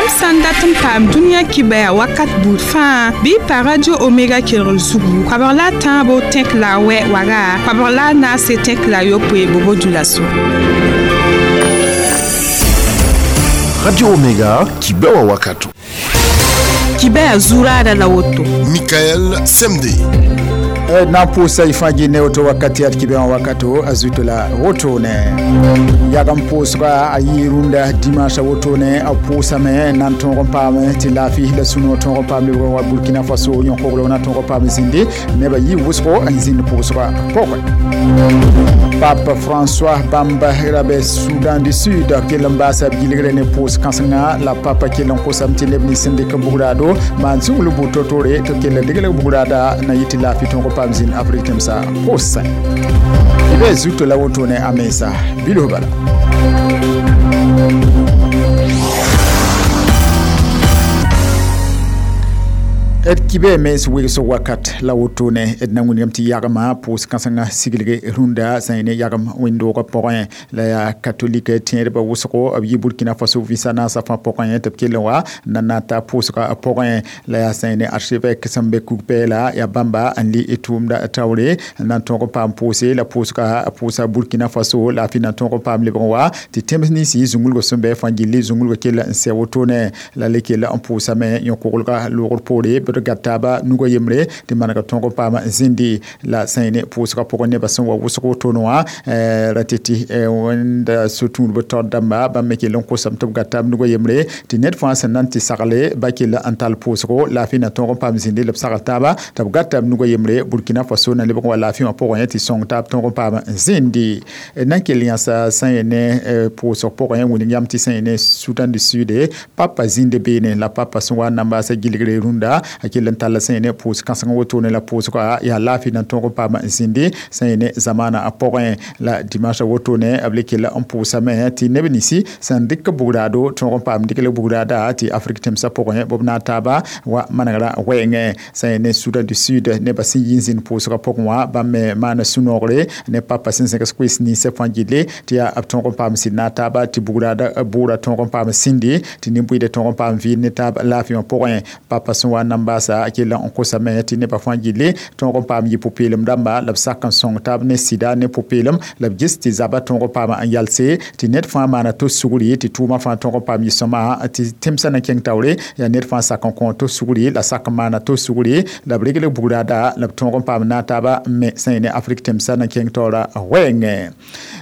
Yãmb sã n dat n paam dũniyã kibɛa wakat buud fãa bɩ y pa Radio Omega kelgr zugu koabg la a tãabo tẽk la a wɛ waga koabg la a naase tẽk la a yopoe bobo dulaso. Radio Omega, kibɛwa wakato. Kibɛa zuraada la woto. Michael Semde. Na pʋʋsa y fãa gɩ ne woto wakati ad kibɛwã wakato a zuto la wotone yagem pʋʋsga a yɩ rũndã dimanche wotone a pʋʋsame n na n tõog n paame tɩ laafɩ la sũ-noog tõog n paam lebg wa Burkina Faso yõkogl na tõog n paam zĩndi nebã yɩ wʋsgo n zĩnd pʋʋsga pʋgẽ. Pape François bãmb ra be Soudan du Sud kell n baasa b gilgre ne pʋʋs kãsenga la papa kell n kosame tɩ neb nins sẽn dɩk n bugraado maan zũngl buud to-tore tɩ kell n degl bugraada na yɩ tɩ laafɩ tõog n paam zĩnd Afrik tẽmsã pʋʋsẽ. Bɩ zuto la wotone a mensa bilf bala. D kibɛ mens wegsg wakat la wotone d na wĩnigame tɩ yagma pʋʋs kãsengã siglg rũndã sã yẽ ne yagem wẽnd-doogã pʋgẽ la yaa katolik tẽedbã wʋsgo b yɩ Burkina Faso vɩsa naasã fãa pʋgẽ tɩ b kell n wa na na ta pʋʋsgã pʋgẽ la yaa sã yẽ ne archevêque sẽn be kug-pɛɛla yaa bãmba n le tʋʋmda taoore n na n tõog n paam pʋʋse la pʋʋsga pʋʋsa Burkina Faso la fɩ na tõog n paam lebg n wa tɩ tẽms ninsi zũngulgo sẽn bɩ fãa gilli zũngulgo kell n sɛ wotone la le kell n pʋʋsame yõ-koglga loogr poore b gataba nuga yembre tɩ manega tõog n paam zĩndi la sã yẽ ne pʋʋsgã pʋgẽ nebã sẽn wa wʋsg wotone wã ra tɩ tɩ wẽnda so-tũudb taoor dãmba bãmb me kell n kosame tɩ b gata b nuga yembre tɩ ned fãa sẽn na n tɩ sagle ba kell n tall pʋʋsgo laafɩ na tõog n paam zĩndi la b sagl taaba tɩ b gata b nuga yembre Burkina Faso na lebg n wa laafɩ wã pʋgẽ tɩ sõng taab tõog n paam zĩndi na n kell yãsa sã yẽ ne pʋʋsg pʋgẽ wilg yam tɩ sã yẽ ne Soudan du Sud papa zĩnd beene la papa sẽn wa n na n baasa gilgre rũndã a kell n tall sã yẽ ne pʋʋs kãseng wotone la pʋʋsga yaa laafɩ na tõog n paam zĩndi sã yẽ ne zamaana a pʋgẽ la dimanche wotone b le kell n pʋʋsame tɩ neb ninsi sẽn dɩk bugraado tõog n paam dɩk la bugraada tɩ Afrik tẽmsã pʋgẽ b na n taaba wa manegrã wɛɛngẽ sã yẽ ne Soudan du Sud nebã sẽn yi n zĩnd pʋʋsgã pʋgẽ wã bãmb me maana sũ-noogre ne papa sẽn zẽgs koees ninsã fãa gilli tɩ yaa b tõog n paam sɩd na n taaba tɩ bugraada bʋʋra tõog n paam sĩndi tɩ nin-bʋɩda tõog n paam vɩɩl ne taab laafɩ wã pʋgẽ papa sẽn wa n na n baasa a kell n kosame tɩ nebã fãa gilli tõog n paam yɩ pʋ-peelem dãmba la b sak n sõng taab ne sɩda ne pʋ-peelem la b ges tɩ zabã tõog n paam n yalse tɩ ned fãa maana to sugri tɩ tʋʋmã fãa tõog n paam yɩ sõma tɩ tẽmsã na kẽng taoore yaa ned fãa sak n kõ to sugri la sak n maana to sugri la b regl bugraada la b tõog n paam na taaba n me sã yẽ ne Afrik tẽmsã na kẽng taoora wɛɛngẽ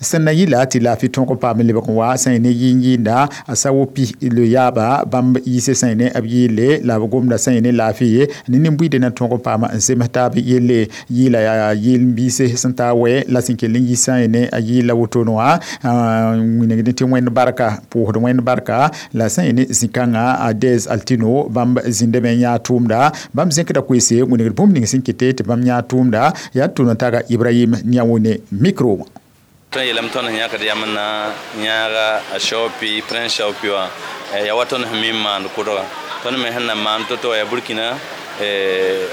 sẽn na yɩla tɩ laafɩ tõog n paam lebg n wa sã yẽ ne yĩn-yĩnda a sa wo pi le yaaba bãmb yiise sã yẽ ne b yɩɩle la b gomda sã yẽ ne laafɩ ne nin-buiidã na tõog n paam n zems taab yelle yɩɩla yaa yɩl-biise sẽn taa wɛ la sẽn kell n yi sã yẽ ne a yɩɩla wotone wã wĩnigd tɩ wẽnd barka pʋʋsd wẽnd barka la sã yẽ ne zĩ-kãngã a Dez Altino bãmb zĩndame n yãa tʋʋmda bãmb zẽkda koeese wĩnigd bũmb ning sẽn kete tɩ bãmb yãa tʋʋmda yaa tʋʋm n taga Ibrahim Niawone micro wã. Tõnd yeelame tõnd sẽn yãkd yam n na yãaga a Shaopi Prince Shaopi wã yaa wa tõnd sẽn mi n maand kʋdga tõnd me sẽn na maan to-to yaa Burkina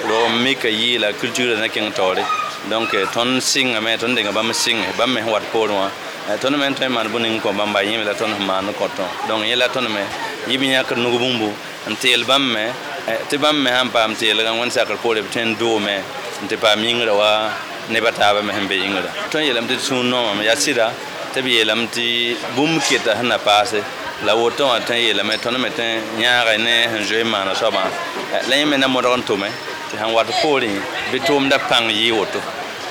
rog n mika yɩɩla culture na kẽng taoore donc tõnd sɩngame tõnd denga bãmb sɩnge bãmb me sẽn wat poorẽ wã tõnd me n tõe n maan bũmb ning kõ bãmba yẽme la tõnd sẽn maan n kõtõ donc yẽ la tõnd me yɩ b yãkd nug bũmbu n teel bãmb me tɩ bãmb me sãn paam teelgã wẽnd sakr poore b tõe n doome n tɩ paam yĩngrã wa nebã taabã me sẽn be yĩngrã tõnd yeelame tɩ d sũur noomame yaa sɩda tɩ b yeelame tɩ bũmb keta sẽn na paase la woto wã tõe n yeelame tõnd me tõe n yãaga ne sẽn zoe n maana soabã la yẽ me na modg n tʋme tɩ sãn wat poorẽ bɩ tʋʋmda pãng yɩ woto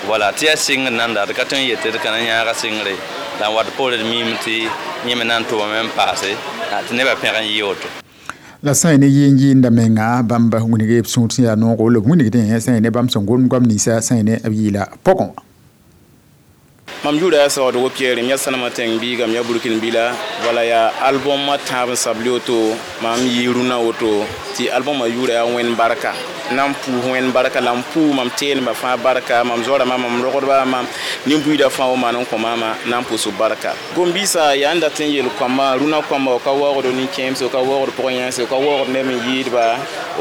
wala tɩ yaa sɩngr nanda d ka tõe n yetɩ d ka na yãaga sɩngre la n wat poore d miime tɩ yẽ me na n tʋmame n paase tɩ nebã pẽg n yɩ woto. La sã yẽ ne yɩɩn-yɩɩnda menga bãmb wĩnige b sũur sẽn yaa noogo la b wĩnigdẽ sã yẽ ne bãmb sẽn gom goam ninsã sã yẽ ne b yɩɩla pʋgẽ wã. Mam yʋʋra yaa Saoodgo Pierre m yaa Sanama tẽng biiga m yaa Burkin bila wala yaa album a tãab n sabl woto mam yɩ rũnã woto tɩ album a yʋʋra yaa Wẽnd barka na n pʋʋs Wẽnd barka la n pʋʋs mam teelmã fãa barka mam zoarãmã mam rogdbã mam nin-buiidã fãa wa maan n kõ maamã na n pʋʋs b barka gom-biisã yaa n dat n yeel kõamba rũnã kõamba ka waoogd nin-kẽemse ka waoogd pʋg-yãense ka waoogd neb n yɩɩdba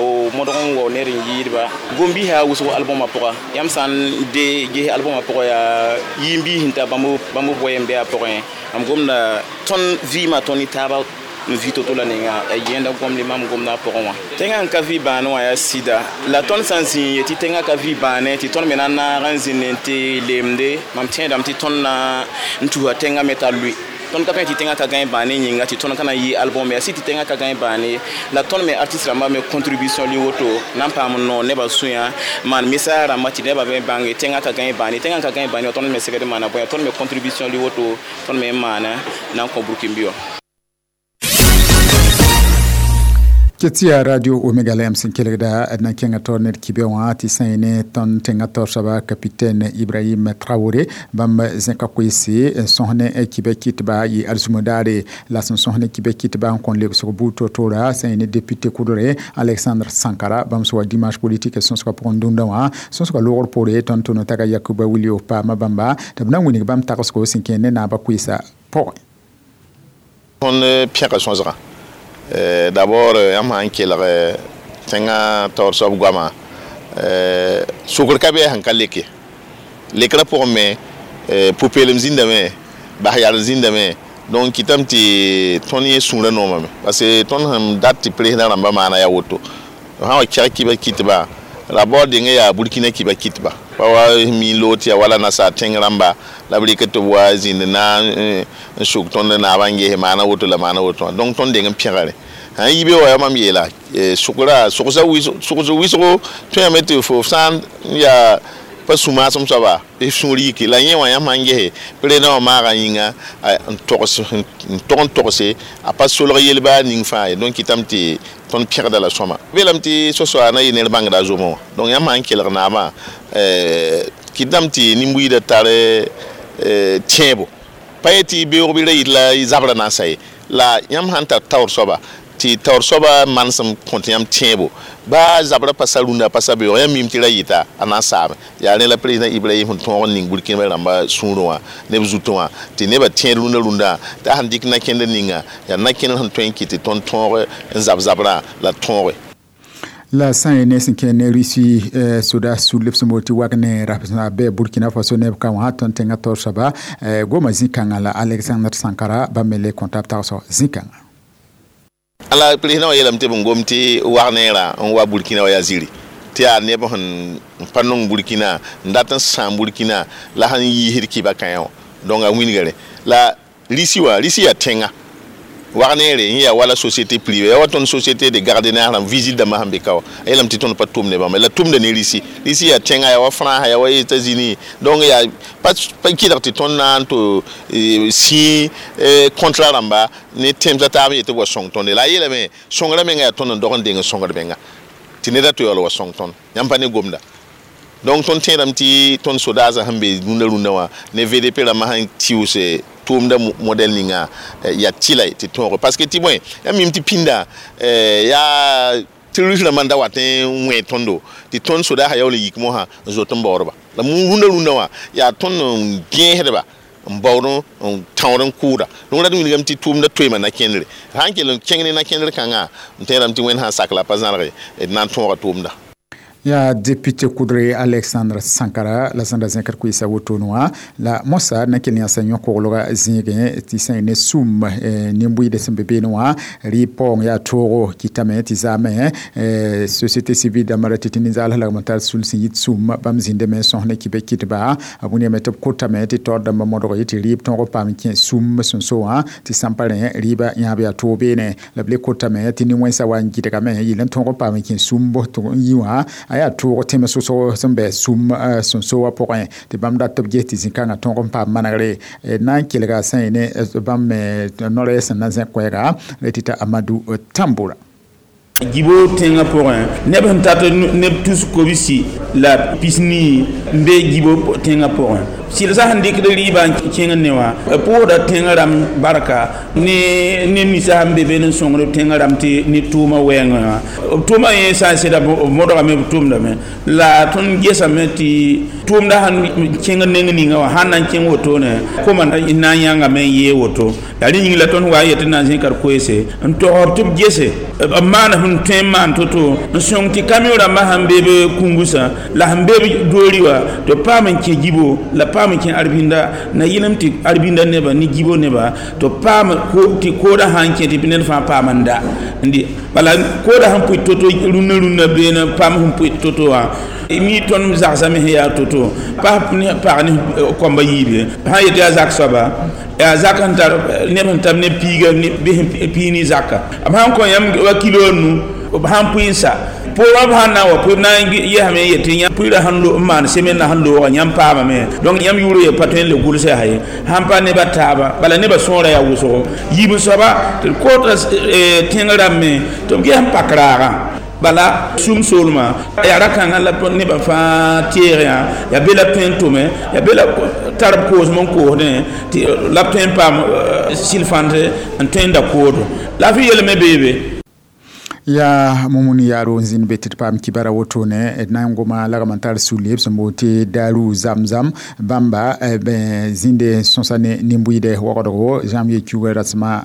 o modg n wao ned n yɩɩdba gom-biisã yaa wʋsgo albumã pʋga yãmb sã n de ges albumã pʋga yaa yĩn-biis sẽn ta bãmb b goɛɛm bɩ a pʋgẽ mam gomda tõnd vɩɩmã tõnd ne taaba N vɩ to-to la ninga ya yẽnda gomd mam gomda pʋgẽ wã tẽngã n ka vɩ bãane wã yaa sɩda la tõnd sã n zĩ n yetɩ tẽngã ka vɩ bãane tɩ tõnd me na n naag n zĩnd n tɩ lemde mam tẽedame tɩ tõnd na n tusa tẽngã me t'a lʋɩ tõnd ka tõe tɩ tẽngã ka gãe bãane yĩnga tɩ tõnd ka na n yɩ album yaa sɩ tɩ tẽngã ka gãe bãane la tõnd me artiste rãmbã me contribution li woto na n paam n noog nebã sũyã maan message rãmba tɩ nebã me bãnge tẽngã ka gãe bãane tẽngã ka gãe bãane tõnd me segd n maana bõe tõnd me contribution li woto tõnd me n maana na n kõ burkĩmbi wã. Ketia radio Omega la yam sẽn kelgda d na n kẽnga taoor ned kibɛ wã tɩ sã yẽ ne tõnd tẽngã taoor soaba capitaine Ibrahim Traoré bãmb zẽka koeese n sõs ne kibɛ kɩtba yɩ alzũmã daare la sẽn sõs ne kibɛ kɩtba n kõn lebsg buud to-toora sã yẽ ne député kʋdre Alexandre Sankara bãmb sẽn wa dimanche politique sõsgã pʋgẽ dũndã wã sõsgã loogr poore tõnd tʋ taga Yakuba Wilio paama bãmba tɩ b na n wilg bãmb tagsgo sẽn kẽ ne naabã koeesã pʋgẽ. Tõnd pẽga sõsgã d'abord yãmb sã n kelg tẽngã taoor soab goama sokr ka bɩ sẽn ka leke lekrã pʋgẽ me pʋ-peelem zĩndame bas yar zĩndame donc kɩtame tɩ tõnd yẽ sũurã noomame parce que tõnd sẽn dat tɩ président rãmbã maana yaa woto sã wa kɛg kibã kɩtba d'abord dengẽ yaa Burkina kibã kɩtba pa wa mi loog tɩ yaa wala nasaar tẽng rãmba la b rɩk tɩ b wa zĩnd na n suk tõnd naabã n ges maana woto la maana woto wã donc tõnd deng n pẽgre sãn yi be wa yaa mam yeela sʋgra sʋgsa wɩsgo tõe tɩ fo sã n yaa pa sũ-maasem soaba b sũur yike la yẽ wã yãmb sãn gese président wã maaga yĩnga n tog n togse a pa solg yel-baa ning fãa ye donc kɩtame tɩ tõnd pẽgda la sõma beelame tɩ so-soa na yɩ ned bãngda a zomã wã donc yãmb sãn kelg naabã kɩtame tɩ nin-buiidã tar tẽebo pa ye tɩ beoog bɩ ra yit la zabrã na n sa ye la yãmb sãn tar taoor soaba tɩ taoor soaba manesem kõt yãmb tẽebo baa zabrã pa sa rũndã pa sa beoog yãmb mim tɩ ra yɩta a na n saame yaa rẽ la président Ibrahim sẽn tõog n ning Burkina rãmba sũurẽ wã neb zutẽ wã tɩ nebã tẽed rũndã rũndã t'a sẽn dɩk na-kẽndr ninga yaa na-kẽndr sẽn tõe n kɩt tɩ tõnd tõog n zab zabrã la tõoge. La sã n ne sẽn kẽ ne Russie soda sũ-lebs n tɩ wag ne rasã bɩ Burkina Faso neb ka wã tõnd tẽngã taoor soaba goma zĩ-kãngã la Alexandre Sankara bãmb me le kõta b tagsg zĩ-kãngã. Ala président wa yeelame tɩ b n gom tɩ wag neerã n wa Burkina wa yaa ziri tɩ yaa neb sẽn pa nong Burkina n dat n sãam Burkina la sẽn yiisd kɩba kãe wã donc a wĩnigre la Russie wã Russie yaa tẽnga wag neere yẽ yaa wala société privée yaa wa tõnd société de gardiennage rãmb visite dãmbã sẽn be ka wã a yeelame tɩ tõnd pa tʋm ne bãmba la tʋmda ne Russie Russie yaa tẽnga yaa wa France yaa wa États-Unis donc yaa pa kɩdg tɩ tõnd na n tɩ sĩ contrat rãmba ne tẽmsã taab n yetɩ b wa sõng tõnde la a yeelame sõngrã menga yaa tõnd n dog n deng n sõngd menga tɩ neda tɩ yaool wa sõng tõnd yãmb pa ne gomda donc tõnd tẽedame tɩ tõnd sodaasã sẽn be rũndã rũndã wã ne VDP rãmbã sẽn tɩʋse tʋʋmda modɛl ninga yaa tɩla tɩ tõoge parce que tɩ bõe yãmb mim tɩ pĩnda yaa terroriste rãmbã n da wat n wẽ tõndo tɩ tõnd sodaasã yaool n yik mosã n zot n baoodba la rũndã rũndã wã yaa tõnd n gẽesdba n baood n tãood n kʋʋda donc rat wilgame tɩ tʋʋmda toeema na-kẽndre sã n kell n kẽng ne na-kẽndr kãngã n tẽedame tɩ Wẽnd sã n sak la pa zãlge d na n tõoga tʋʋmda. Ya député kudre Alexandre Sankara la sẽn da zẽkd koeesa wotone wã la mosa na kell yãsa yõ-koglga zĩigẽ tɩ sã ne sũm nin-buiidã sẽn be beene wã rɩ paoong yaa toogo kɩtame tɩ zaame société civile dãmbã ra tɩ tɩ ninsaals lagm n tar sul sẽn yit sũm bãmb zĩndame n sõs ne kɩbɛ kɩtba b wĩname tɩ b kotame tɩ taoor dãmbã modg ye tɩ rɩɩb tõog paam kẽ sũm sẽn so wã tɩ sãn pa rẽ rɩɩbã yãab yaa toog beene la b le kotame tɩ nin-wẽnsã wa n gɩdgame yɩl n tõog paam kẽ sũm n yi wã a yaa tʋʋg tẽms wʋsg sẽn bɛ sũm sẽn so wã pʋgẽ tɩ bãmb dat tɩ b ges tɩ zĩ-kãngã tõog n paam manegre na n kelga sã yẽ ne bãmb me no-rɛɛs sẽn na zẽk koɛɛga la tɩ t'a Amadou Tamboura. Djibo tẽngã pʋgẽ neb sẽn tat neb tus kobsi la pisni n be Djibo tẽngã pʋgẽ sɩlsã sẽn dɩkd rɩɩbã n kẽng ne wã b pʋʋsda tẽngã rãmb barka ne neb ninsã sẽn be be n sõngd tẽngã rãmb tɩ ne tʋʋmã wɛɛngẽ wã b tʋʋmã yẽ sã n sɩda b modgame b tʋʋmdame la tõnd gesame tɩ tʋʋmda sẽn kẽng neng ninga wã sãn na n kẽng wotone koma na n yãngame n yee woto la rẽ yĩng la tõnd wa n yetɩ na n zẽkd koeese n togsd tɩ b gese b maan sẽn tõe n maan to-to n sõng tɩ kamiõ rãmbã sẽn be b kũngusã la sẽn be b doori wã tɩ b paam n kẽ Djibo la paam paam kẽ arbinda na yɩlem tɩ arbinda neba ne gibo neba tɩ paam tɩ kooda sã n kẽ tɩ ned fãa paam n da n dɩ bala kooda sẽn pʋɩ to-to rũnnã rũnnã beene paam sẽn pʋɩ to-to wã mi tõnd zagsame sẽn yaa to-to pas ne pag ne kɔmba yiibe sã n yet yaa zak soaba yaa zak sẽn tar neb sẽn tab ne piiga bɩ sẽn pii ne zaka b sãn kõ yãmb wa kilo nu b sãn pʋɩ n sa pʋʋrã b sãn na n wa pʋɩ b na n yɛsame n yet tɩ pʋɩɩrã sẽn n maan semen na sẽn looga yãmb paamame donc yãmb yʋʋr ye pa tõe n le gʋlsã yaa ye sãn pa nebã taaba bala nebã sõora yaa wʋsgo yiib soaba tɩ d koota tẽng rãmbme tɩ b ges n pak raagã bala sum soolmã yaa ra-kãngã la nebã fãa teegã yaa be la tõe n tʋme yaa be la tar b koosem n koosdẽ tɩ la b tõe n paam sɩl-fãnt n tõe n da koodo la f yelme beebe. Ya mumuni yaro zin be tɩ d paam kibara wotone d na n goma lagm n tar sũle b sẽn boond tɩ daru zamzam bãmba zĩnde sõsa ne nin-bʋɩɩdɛ wagdgo janvier kiuga rasẽma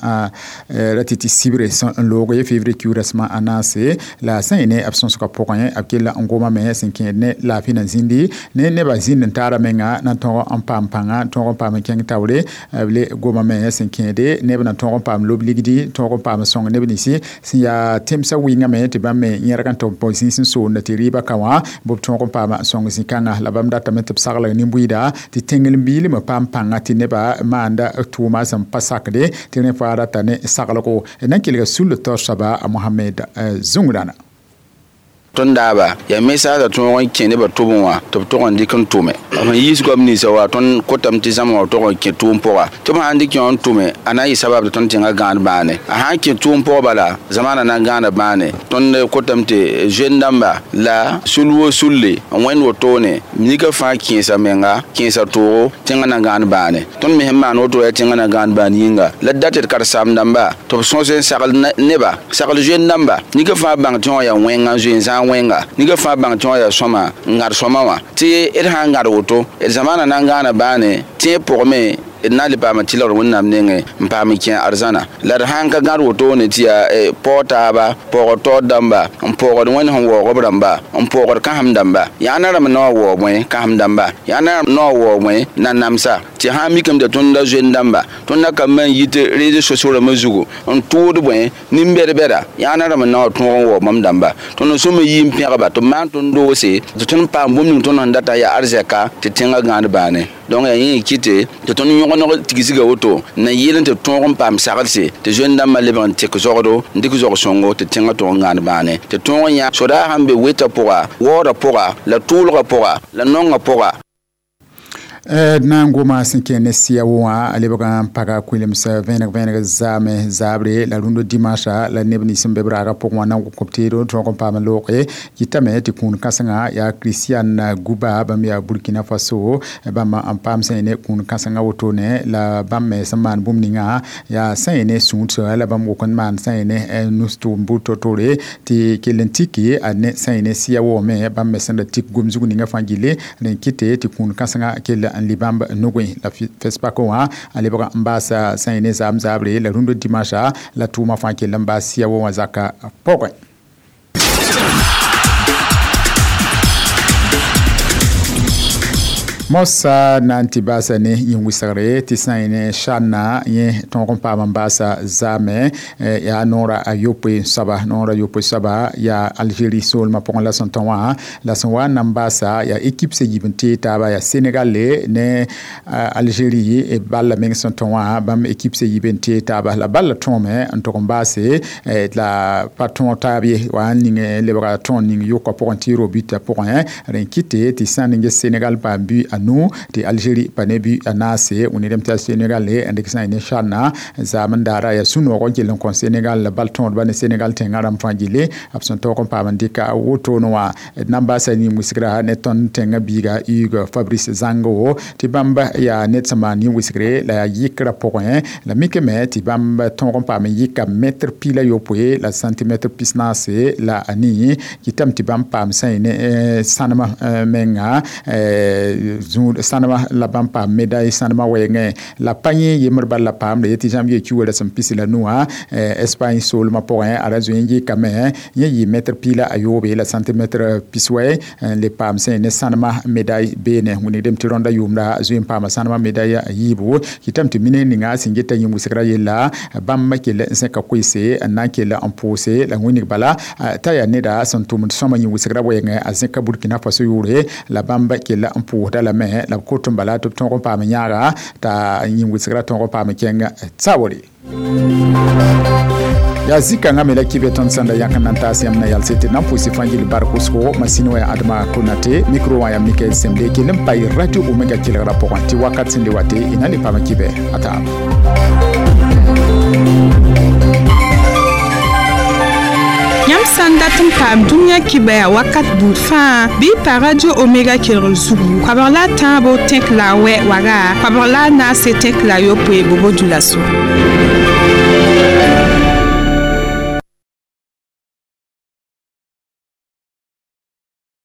ra tɩ tɩ sibre sẽn n loog ye février kiug rasẽma a naase la sẽn yɩ ne b sõsgã pʋgẽ b kell n gomame sẽn kẽed ne laafɩ na zĩndi ne nebã zĩnd n taara menga na tõog n paam pãnga tõog n paam n kẽng taoore b le gomame sẽn kẽede neb na tõog n paam lob ligdi tõog n paam sõng neb ninsi sẽn yaa tẽmsã wɩngame tɩ bãmb me yẽrg n tɩ b zĩis n soonda tɩ rɩɩbã ka wã b tõog n paama sõng zĩ-kãngã la bãmb datame tɩ b saglg nin-bʋɩɩda tɩ tẽngl-biilmã paam pãnga tɩ nebã maanda tʋʋma sẽn pa sakde tɩ rẽ fãa rata ne saglgo na n kelga sull taoor soaba a Mohamed Zũngrãna. Tõnd daaba yaa mesaasã tõog n kẽ nebã tʋbẽ wã tɩ b tog n dɩk n tʋme b sẽn yiis goam ninsã wa tõnd kotame tɩ zãma wã tog n kẽ tʋʋm pʋga tɩ b sãn dɩk yõ n tʋme a na n yɩ sabab tɩ tõnd tẽngã gãad bãane a sãn kẽ tʋʋm pʋg bala zamaana na n gãada bãane tõnd kotame tɩ zoen dãmba la sul wo sulle n wẽnd wotone nika fãa kẽesa menga kẽesa toogo tẽngã na gãad bãane tõnd me sẽn maan woto yaa tẽngã na gãad bãan yĩnga la d dat tɩ d karen-saam dãmba tɩ b sõs n sagl neba sagl zoen dãmba nika fãa bãng tɩ wã yaa wẽnga n zoe n zãag wẽnga nika fãa bãng tɩ wã yaa sõma n gãd sõma wã tɩ d sã n gãd woto d zamaana na n gãana bãane tẽeb pʋgme d na n le paam tɩlgr wẽnnaam nengẽ n paam n kẽ arzãna la d sãn ka gãd wotone tɩ yaa paoog taaba paoogd taoor dãmba n paoogd wẽnd sẽn waoog b rãmba n paoogd kãsem dãmba yaa na rãmb na wa waoog bõe kãsem dãmba yaa na rãmb na wa waoog bõe nanamsa tɩ sã n mikame tɩ tõnd zoen dãmba tõnd na ka man yit réseaux sociaux rãmbã zugu n tʋʋd bõe nin-bɛd-bɛda yaa na rãmb na wa tõog n waoog bãmb dãmba tõnd n sõma yɩ n pẽgba tɩ b maan tõnd doose tɩ tõnd paam bũmb ning tõnd sẽn data yaa arzɛka tɩ tẽngã gãad bãane donc yaa yẽ kɩte tɩ tõnd yõgnog tigsga woto na yɩl n tɩ tõog n paam saglse tɩ zoen dãmbã lebg n tek zogdo n dɩk zog sõngo tɩ tẽngã tõog n gãad bãane tɩ tõog n yã sodaag sẽn be wetã pʋga waoodã pʋga la tʋʋlgã pʋga la nongã pʋga. D na n goma sẽn kẽ ne sɩya wã a lebg n paga kʋɩlems vẽeneg vẽeneg zaame zaabre la rũndã dimanche la neb nins n be b raagã pʋgẽ wã na n gʋ teedo tõog n paam n looge kɩtame tɩ kũun kãsengã yaa Christian Guba bãmb yaa Burkina Faso bãmb n paam sẽn ne kũun kãsengã wotone la bãmb me sẽn maan bũmb ninga yaa sẽn ne sũudsa la bãmb wʋk n maan sẽn ne nus-tʋʋm bur to-tore tɩ kell n tiki a ne sẽn ne sɩya woome bãmb me sẽn da tik gom zug ninga fãa gilli rẽ kɩte tɩ kũun kãsengã kell n li bãmb nugẽ la FESPACO wã a lebg n baasa sẽn ne zaam zaabre la rũndã dimanche la tʋʋmã fãa kell n baas sɩya wã zaka pʋgẽ. Mosa na n tɩ baasa ne yĩn-wɩsgre tɩ sã n ne sãnna yẽ tõog n paam n baasa zaame yaa noora a yopoe soaba noora yopoe soaba yaa Algérie soolmã pʋgẽ la sẽn tõ wã la sẽn wa n na n baasa yaa équipe sẽn yib n tee taaba yaa Sénégal ne Algérie balla meng sẽn tõ wã bãmb équipe sẽn yib n tee taaba la balla tõome n tʋg n baase la pa tõog taab ye wa n ning lebga tõog ning yʋka pʋgẽ tɩ ro buta pʋgẽ rẽ kɩte tɩ sã n ning Sénégal paam bu a nu tɩ Algérie pa ne bu a naase wẽnnaam tɩ Sénégal n dɩk sã n ne sãnna zaam n daara yaa sũ-noog n kell n kõ Sénégal la bal tõodba ne Sénégal tẽngã rãmb fãa gilli b sẽn taoog n paam n dɩka wotone wã d na n baasa nin-wɩsgra ne tõnd tẽngã biiga Hugues Fabrice Zango tɩ bãmb yaa ned sẽn maan nin-wɩsgre la yaa yɩkrã pʋgẽ la mikame tɩ bãmb tõog n paam n yɩka mɛtr pi la yopoe la centimètre pisnaase la a nii kɩtame tɩ bãmb paam sã n ne sãnemã menga zũud sãnema la bãmb paam médaille sãnema wɛɛngẽ. La pa yẽ yembr bal la paamde yetɩ janvier ki wala sẽn pis la nuwã Espagne soolmã pʋgẽ, a ra zoe n yɩkame, yẽ yɩ mɛtr 110 la centimètre 90 n le paam sẽn ne sãnema médaille beene. Wilgdame tɩ rõndã yʋʋmda zoe n paama sãnema médaille a yiibu. Kɩtame tɩ mine ninga sẽn geta yĩn wɩsgrã yella, bãmb kell n zẽka koeese n na n kell n pʋʋse la wĩnig bala t'a yaa neda sẽn tʋmd sõma yĩn wɩsgrã wɛɛngẽ, a zẽka Burkina Faso yʋʋre la bãmb kell n pʋʋsda lame la b kot n bala tɩ b tõog n paam yãaga t'a yĩn wɩsgrã tõog n paam kẽng tsaoore. Yaa zĩ-kãngã me la kɩ tõnd sẽn da yãk n na n taas yãmb na yalse tɩ na n pʋʋs fãa gill bark wʋsgo. Masĩn wã yaa Adama Konate, micro wã yaa Mikael Semde. Kell n pa Radio Omega kelgrã pʋgẽ tɩ wakat sẽn le wa tɩ y na n le paam kɩbɛ a taaba. Yãmb sã n dat n paam dũniyã kibɛa wakat buud fãa, bɩ y pa Radio Omega kelgr zugu, koabg la a tãabo tẽk la a wɛ waga, koabg la a naase tẽk la a yopoe bobo dũlaso.